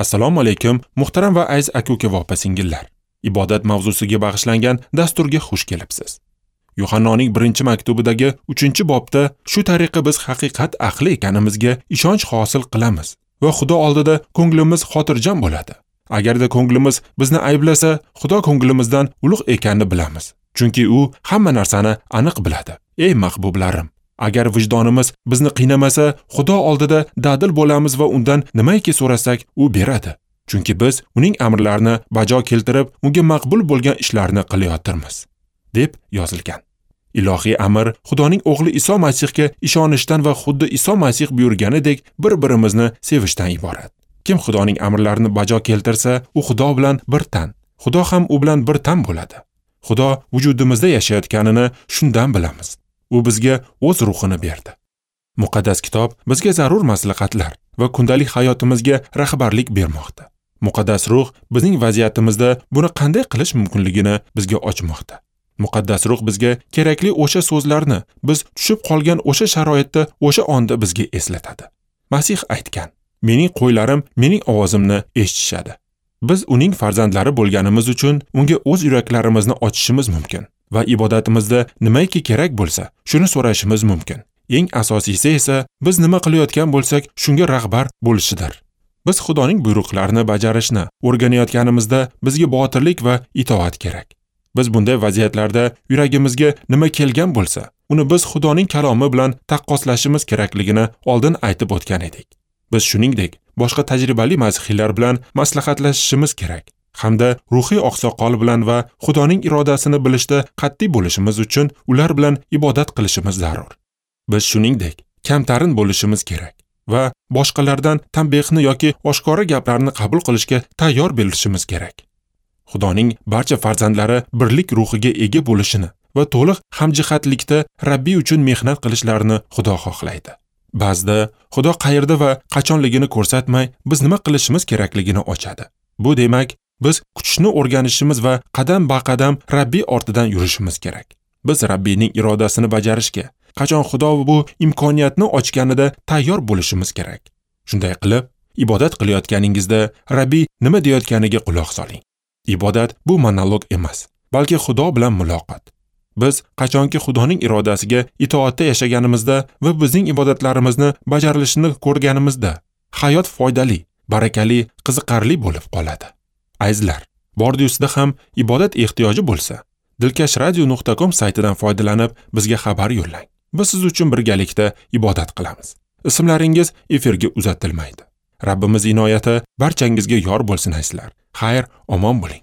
Assalomu alaykum, muhtaram va aziz aka-uka va opa-singillar. Ibodat mavzusiga bag'ishlangan dasturga xush kelibsiz. Yuhannoning 1-maktubidagi 3-bobda shu tariqa biz haqiqat ahli ekanimizga ishonch hosil qilamiz va Xudo oldida ko'nglimiz xotirjam bo'ladi. Agarda ko'nglimiz bizni ayblasa, Xudo ko'nglimizdan ulug' ekanini bilamiz. Chunki u hamma narsani aniq biladi. Ey mahbublarim, agar vijdonimiz bizni qiynamasa, Xudo oldida dadil bo'lamiz va undan nimaiki so'rasak, u beradi. Chunki biz uning amrlarini bajo keltirib, unga maqbul bo'lgan ishlarni qilayotirmiz, deb yozilgan. Ilohiy amr Xudoning o'g'li Iso Masihga ishonishdan va xuddi Iso Masih buyurganidek bir-birimizni sevishdan iborat. Kim Xudoning amrlarini bajo keltirsa, u Xudo bilan bir tan, Xudo ham u bilan bir tan bo'ladi. Xudo vujudimizda yashayotganini shundan bilamiz. U bizga o'z ruhini berdi. Muqaddas kitob bizga zarur maslahatlar va kundalik hayotimizga rahbarlik bermoqda. Muqaddas ruh bizning vaziyatimizda buni qanday qilish mumkinligini bizga ochmoqda. Muqaddas ruh bizga kerakli o'sha so'zlarni biz tushib qolgan o'sha sharoitda, o'sha onda bizga eslatadi. Masih aytgan: "Mening qo'ylarim mening ovozimni eshitishadi." Biz uning farzandlari bo'lganimiz uchun unga o'z yuraklarimizni ochishimiz mumkin va ibodatimizda nimaiki kerak bo'lsa, shuni so'rashimiz mumkin. Eng asosiysi esa biz nima qilayotgan bo'lsak, shunga rahbar bo'lishidir. Biz Xudoning buyruqlarini bajarishni o'rganayotganimizda bizga botirlik va itoat kerak. Biz bunday vaziyatlarda yuragimizga nima kelgan bo'lsa, uni biz Xudoning kalomi bilan taqqoslashimiz kerakligini oldin aytib o'tgan edik. Biz shuningdek boshqa tajribali masihiylar bilan maslahatlashishimiz kerak hamda ruhiy oqsoqol bilan va Xudoning irodasini bilishda qat'iy bo'lishimiz uchun ular bilan ibodat qilishimiz zarur. Biz shuningdek kamtarin bo'lishimiz kerak va boshqalardan tanbehni yoki oshkora gaplarni qabul qilishga tayyor bo'lishimiz kerak. Xudoning barcha farzandlari birlik ruhiga ega bo'lishini va to'liq hamjihatlikda Rabbiy uchun mehnat qilishlarini Xudo xohlaydi. Ba'zida Xudo qayerda va qachonligini ko'rsatmay, biz nima qilishimiz kerakligini ochadi. Bu demak, biz kutishni o'rganishimiz va qadam-ba-qadam Rabbiy ortidan yurishimiz kerak. Biz Rabbiyning irodasini bajarishga, qachon Xudo bu imkoniyatni ochganida tayyor bo'lishimiz kerak. Shunday qilib, ibodat qilayotganingizda Rabbiy nima deyotganiga quloq soling. Ibodat bu monolog emas, balki Xudo bilan muloqot. Biz qachonki Xudoning irodasiga itoatda yashaganimizda va bizning ibodatlarimizni bajarilishini ko'rganimizda, hayot foydali, barakali, qiziqarli bo'lib qoladi. Azizlar, bordi-ustida ham ibodat ehtiyoji bo'lsa, dilkashradio.com saytidan foydalanib bizga xabar yo'llang. Biz siz uchun birgalikda ibodat qilamiz. Ismlaringiz efirga uzatilmaydi. Rabbimiz inoyati barchangizga yor bo'lsin azizlar. Xayr, omon bo'ling.